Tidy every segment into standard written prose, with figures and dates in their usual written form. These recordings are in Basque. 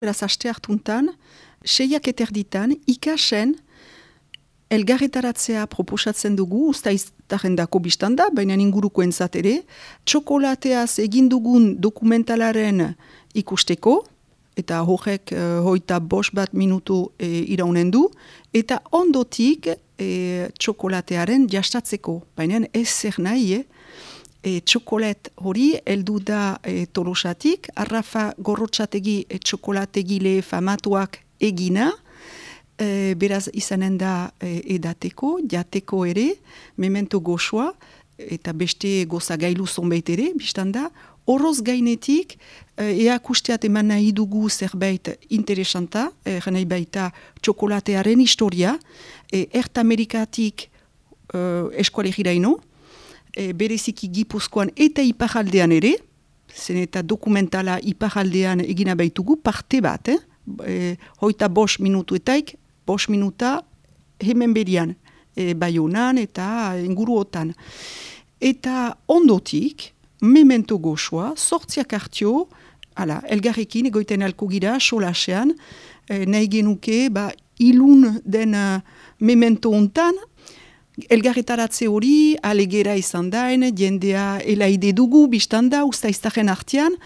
Beraz, aste hartuntan, 6:30 ikasen elgarretaratzea proposatzen dugu, ustaiztaren dako biztanda, baina ingurukoentzat ere, txokolateaz egin dugun dokumentalaren ikusteko, eta horrek 25 minutu iraunen du, eta ondotik txokolatearen jastatzeko, baina ez zer nahi, txokolet hori heldu da Tolosatik, Arrafa Gorrotxategi txokolategile famatuak egina, beraz izanen da edateko, jateko ere, memento goxoa, eta beste gozagailu zonbait ere, biztanda, horoz gainetik, eakusteat eman nahi dugu zerbait interesanta, nahi baita txokolatearen historia, Ertamerikatik eskualegiraino, bereziki Gipuzkoan eta iparaldean ere, zen eta dokumentala iparaldean egina baitugu, parte bat, 25 minutuetaik, 5 minuta hemen berian, Baionan eta inguruotan. Eta ondotik, memento goxoa, 8 hartio, elgarrekin egoiten alko gira, solasean, nahi genuke, ilun den memento ontan, elgarretaratze hori, alegera izan daen, jendea elaide dugu, biztanda, ustaiztaren artean,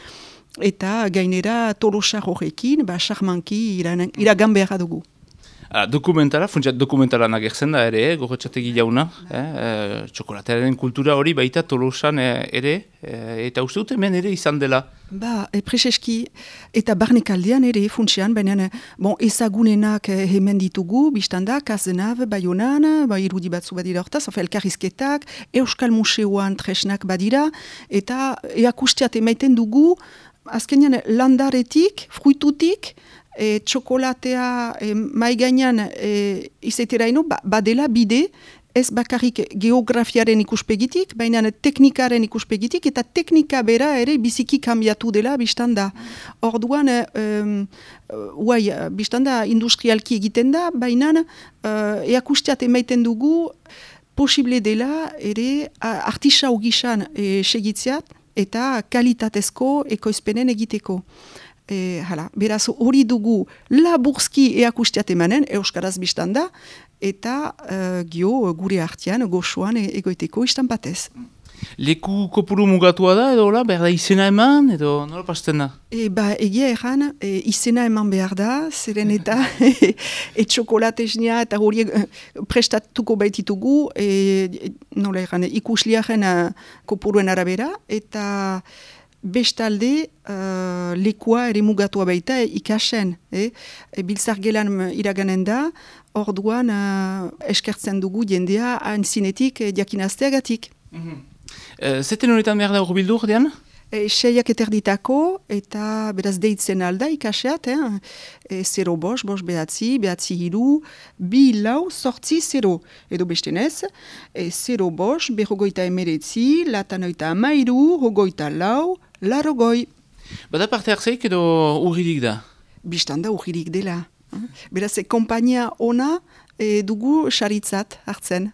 eta gainera Tolosa horrekin, charmanki iragan beharra dugu. Dokumentala, funtsiat dokumentala nagertzen da ere, Gorrotxategi jauna, txokolatearen kultura hori baita Tolosan ere, eta uste dut hemen ere izan dela. Prezeski, eta barnekaldean ere funtsian, baina ezagunenak hemen ditugu, biztanda, Kazenab, Baionan, irudi batzu badira hortaz, elkarrizketak, Euskal Museoan tresnak badira, eta eakusteat emaiten dugu, azkenean landaretik, fruitutik, txokolatea maigainan izaiteraino, badela bide, ez bakarrik geografiaren ikuspegitik, baina teknikaren ikuspegitik, eta teknika bera ere biziki kambiatu dela biztanda. Orduan, biztanda industrialki egiten da, baina eakusteat emaiten dugu posible dela ere artisau gisan segitzeat, eta kalitatezko ekoizpenen egiteko. Beraz hori dugu laburzki eakusteat emanen, euskaraz biztanda, eta gure artean, goxoan egoiteko istan batez. Leku kopuru mugatua da, edo behar da izena eman, edo nola pasten da? Egia erran, izena eman behar da, zeren eta txokolatesnia eta hori prestatuko baititugu, nola erran, ikusliaren kopuruen arabera, eta bestalde, lekua ere mugatua baita ikasen. Biltzar gelan iraganen da, orduan eskertzen dugu jendea antzinetik diakinazteagatik. Zeten horretan behar da urbildu, ordean? 6:30 eta beraz deitzen alda ikaseat, 0 bost behatzi, hiru, 2 lau, 0, edo bestenez, 0 bost, 59, latanoita amairu, 24, larogoi. Bada parte hartzeik edo urririk da? Bistanda urririk dela. Beraz, kompainia ona dugu saritzat hartzen.